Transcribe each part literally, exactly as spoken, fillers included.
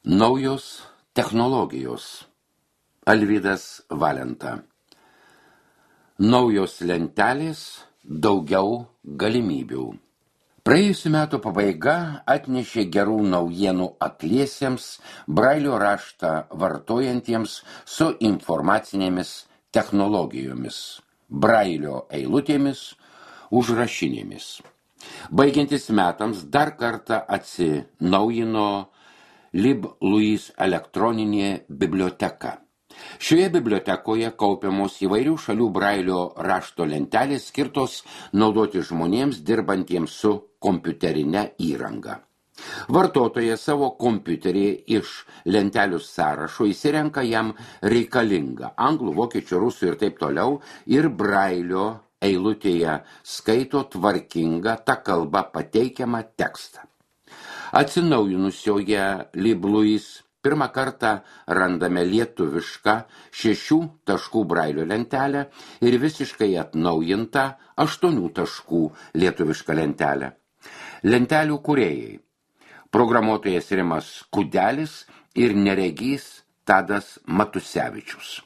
Naujos technologijos. Alvydas Valenta. Naujos lentelės, daugiau galimybių. Praėjusių metų pabaiga atnešė gerų naujienų akliesiems, brailio raštą vartojantiems su informacinėmis technologijomis, brailio eilutėmis, užrašinėmis. Baigiantis metams dar kartą atsinaujino LibLouis elektroninė biblioteka. Šioje bibliotekoje kaupiamos įvairių šalių brailio rašto lentelės skirtos naudoti žmonėms dirbantiems su kompiuterinė įranga. Vartotojas savo kompiuterį iš lentelių sąrašo įsirenka jam reikalingą anglų, vokiečių, rusų ir taip toliau ir brailio eilutėje skaito tvarkingą tą kalbą pateikiamą tekstą. Atsinaujinusioje LibLouis pirmą kartą randame lietuvišką šešių taškų brailio lentelę ir visiškai atnaujintą aštuonių taškų lietuvišką lentelę. Lentelių kūrėjai. Programuotojas Rimas Kudelis ir neregys Tadas Matusevičius.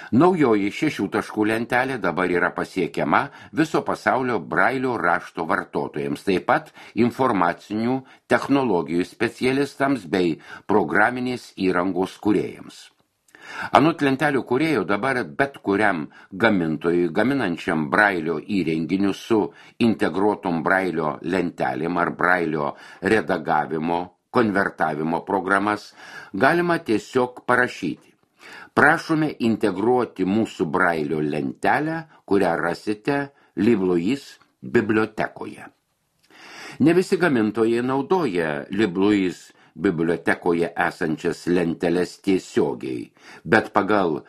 Naujoji šešių taškų lentelė dabar yra pasiekiama viso pasaulio brailio rašto vartotojams, taip pat informacinių technologijų specialistams bei programinės įrangos kūrėjams. Anot lentelių kūrėjo dabar bet kuriam gamintojui gaminančiam brailio įrenginių su integruotom brailio lentelėm ar brailio redagavimo, konvertavimo programas galima tiesiog parašyti. Prašome integruoti mūsų brailio lentelę, kurią rasite LibLouis bibliotekoje. Ne visi gamintojai naudoja LibLouis bibliotekoje esančias lenteles tiesiogiai, bet pagal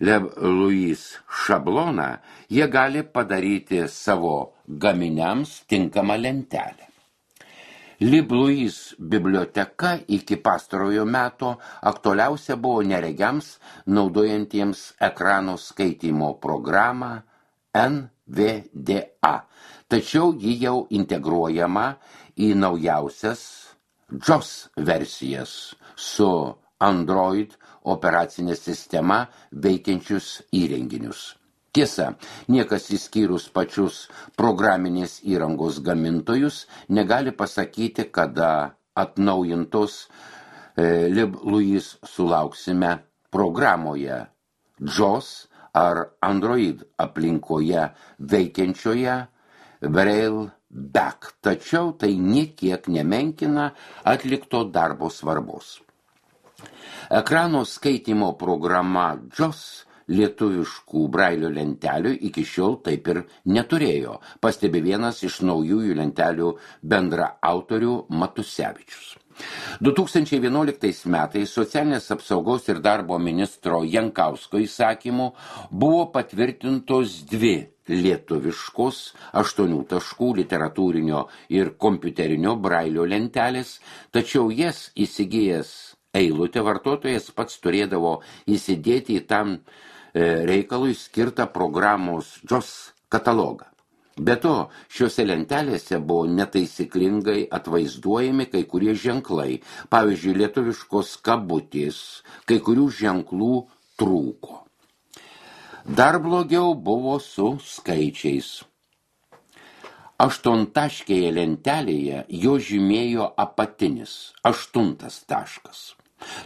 LibLouis šabloną jie gali padaryti savo gaminiams tinkamą lentelę. LibLouis biblioteka iki pastarojo meto aktualiausia buvo neregiams naudojantiems ekrano skaitymo programą N V D A, tačiau ji jau integruojama į naujausias JAWS versijas su Android operacinė sistema veikiančius įrenginius. Tiesa, niekas išskyrus pačius programinės įrangos gamintojus negali pasakyti, kada atnaujintos e, LibLouis sulauksime programoje JAWS ar Android aplinkoje veikiančioje Brailleback, tačiau tai niekiek nemenkina atlikto darbo svarbos. Ekrano skaitymo programa JAWS lietuviškų brailio lentelių iki šiol taip ir neturėjo, pastebi vienas iš naujųjų lentelių bendra autorių Matusevičius. du tūkstančiai vienuoliktais metais socialinės apsaugos ir darbo ministro Jankausko įsakymu buvo patvirtintos dvi lietuviškos aštuonių taškų literatūrinio ir kompiuterinio brailio lentelės, tačiau jas įsigijęs eilutę vartotojas pats turėdavo įsidėti į tam reikalui skirtą programos JAWS katalogą. Be to, šiuose lentelėse buvo netaisyklingai atvaizduojami kai kurie ženklai, pavyzdžiui, lietuviškos kabutės, kai kurių ženklų trūko. Dar blogiau buvo su skaičiais. Aštuontaškėje lentelėje jo žymėjo apatinis, aštuntas taškas.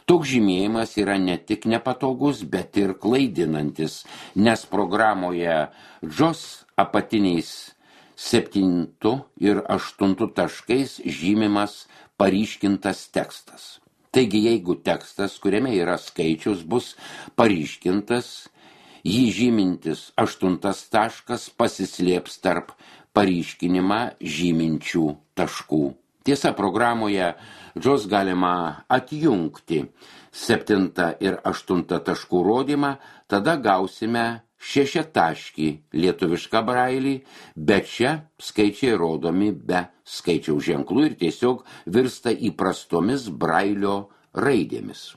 Toks žymėjimas yra ne tik nepatogus, bet ir klaidinantis, nes programoje JAWS apatiniais septintu ir aštuntu taškais žymimas paryškintas tekstas. Taigi, jeigu tekstas, kuriame yra skaičius, bus paryškintas, jį žymintis aštuntas taškas pasislėps tarp paryškinimą žyminčių taškų. Tiesa, programoje JAWS galima atjungti septintą ir aštuntą taškų rodymą, tada gausime šešiataškį lietuvišką brailį, bet čia skaičiai rodomi be skaičiaus ženklų ir tiesiog virsta įprastomis brailio raidėmis.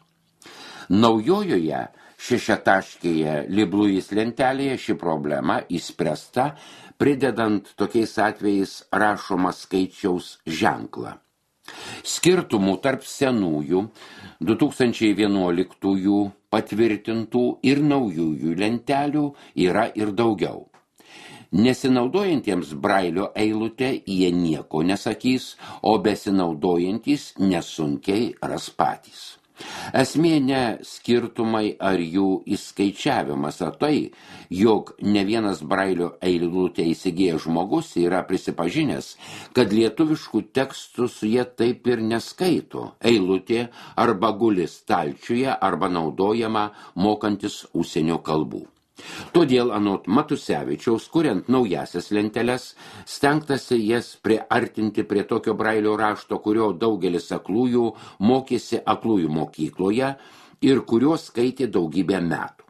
Naujojoje šešiataškėje LibLouis lentelėje ši problema išspręsta, pridedant tokiais atvejais rašomą skaičiaus ženklą. Skirtumų tarp senųjų du tūkstančiai vienuoliktųjų patvirtintų ir naujųjų lentelių yra ir daugiau. Nesinaudojantiems Brailio eilutę jie nieko nesakys, o besinaudojantys nesunkiai ras patys. Esmė ne skirtumai ar jų įskaičiavimas, o tai, jog ne vienas Brailio eilutę įsigijęs žmogus yra prisipažinęs, kad lietuviškų tekstų su jie taip ir neskaito. Eilutė arba guli stalčiuje, arba naudojama mokantis užsienio kalbų. Todėl anot Matusevičiaus, kuriant naujasias lenteles, stengtasi jas priartinti prie tokio Brailio rašto, kurio daugelis aklųjų mokėsi aklųjų mokykloje ir kurio skaitė daugybę metų.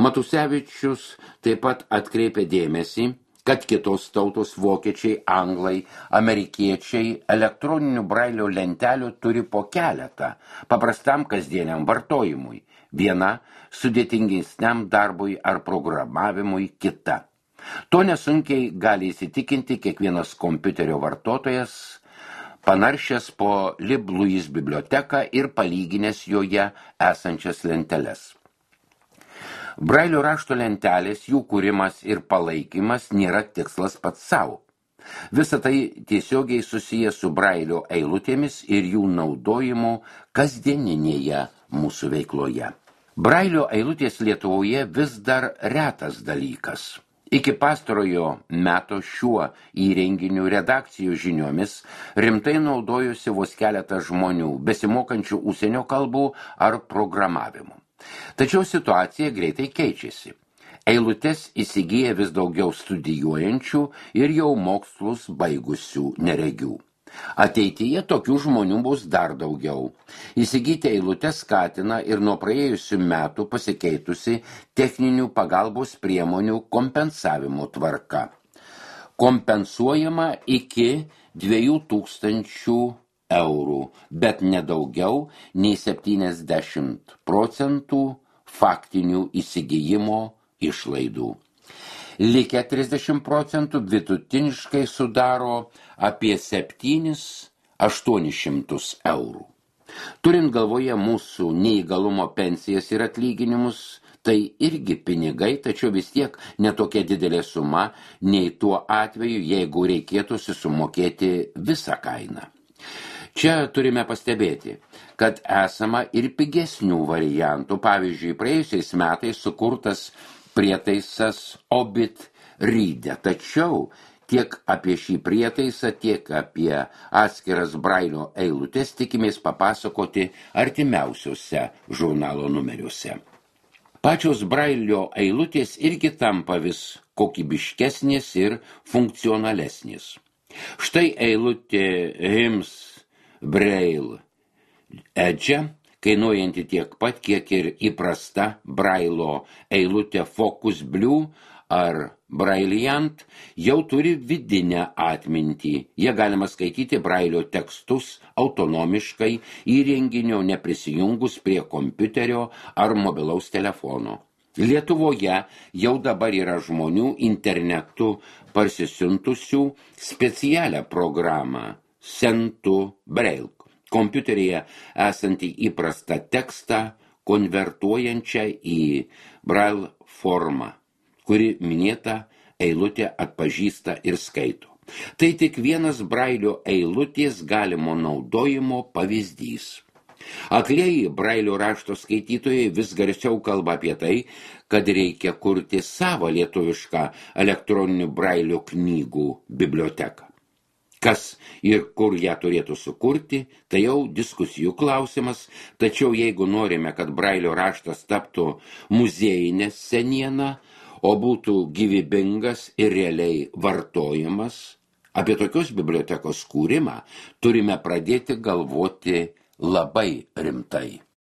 Matusevičius taip pat atkreipė dėmesį, kad kitos tautos vokiečiai, anglai, amerikiečiai elektroninių Brailio lentelių turi po keletą, paprastam kasdieniam vartojimui. Viena sudėtingesniam darbui ar programavimui kita. To nesunkiai gali įsitikinti kiekvienas kompiuterio vartotojas, panaršęs po LibLouis biblioteką ir palyginęs joje esančias lenteles. Brailio rašto lentelės, jų kūrimas ir palaikymas nėra tikslas pats savo. Visa tai tiesiogiai susiję su Brailio eilutėmis ir jų naudojimu kasdieninėje mūsų veikloje. Brailio eilutės Lietuvoje vis dar retas dalykas. Iki pastarojo meto šiuo įrenginiu redakcijų žiniomis rimtai naudojusi vos keletą žmonių, besimokančių užsienio kalbų ar programavimų. Tačiau situacija greitai keičiasi. Eilutes įsigyja vis daugiau studijuojančių ir jau mokslus baigusių neregių. Ateityje tokių žmonių bus dar daugiau. Įsigyti eilutes skatina ir nuo praėjusių metų pasikeitusi techninių pagalbos priemonių kompensavimo tvarka. Kompensuojama iki dviejų tūkstančių eurų, bet nedaugiau nei septyniasdešimt procentų faktinių įsigijimo išlaidų. Likę trisdešimt procentų vidutiniškai sudaro apie septynis aštuonis šimtus eurų. Turint galvoje mūsų neįgalumo pensijas ir atlyginimus, tai irgi pinigai, tačiau vis tiek netokia didelė suma, nei tuo atveju, jeigu reikėtų susumokėti visą kainą. Čia turime pastebėti, kad esama ir pigesnių variantų. Pavyzdžiui, praėjusiais metais sukurtas prietaisas Obit Reader, tačiau tiek apie šį prietaisą, tiek apie atskiras Brailio eilutes tikimės papasakoti artimiausiuose žurnalo numeriuose. Pačios Brailio eilutės irgi tampa vis kokybiškesnės ir funkcionalesnės. Štai eilutė Hims Braille Edge, kainuojanti tiek pat, kiek ir įprasta Brailo eilutė Focus Blue ar Brailliant, jau turi vidinę atmintį. Jie galima skaityti Brailio tekstus autonomiškai įrenginio neprisijungus prie kompiuterio ar mobilaus telefono. Lietuvoje jau dabar yra žmonių internetu parsisiuntusių specialią programą Send to Braille, kompiuteryje esantį įprastą tekstą konvertuojančią į Braille formą, kuri minėta eilutė atpažįsta ir skaito. Tai tik vienas Brailio eilutės galimo naudojimo pavyzdys. Aklieji Brailio rašto skaitytojai vis garsiau kalba apie tai, kad reikia kurti savo lietuvišką elektroninių Brailio knygų biblioteką. Kas ir kur ją turėtų sukurti, tai jau diskusijų klausimas, tačiau jeigu norime, kad Brailio raštas taptų muziejinė seniena, o būtų gyvybingas ir realiai vartojamas, apie tokios bibliotekos kūrimą turime pradėti galvoti labai rimtai.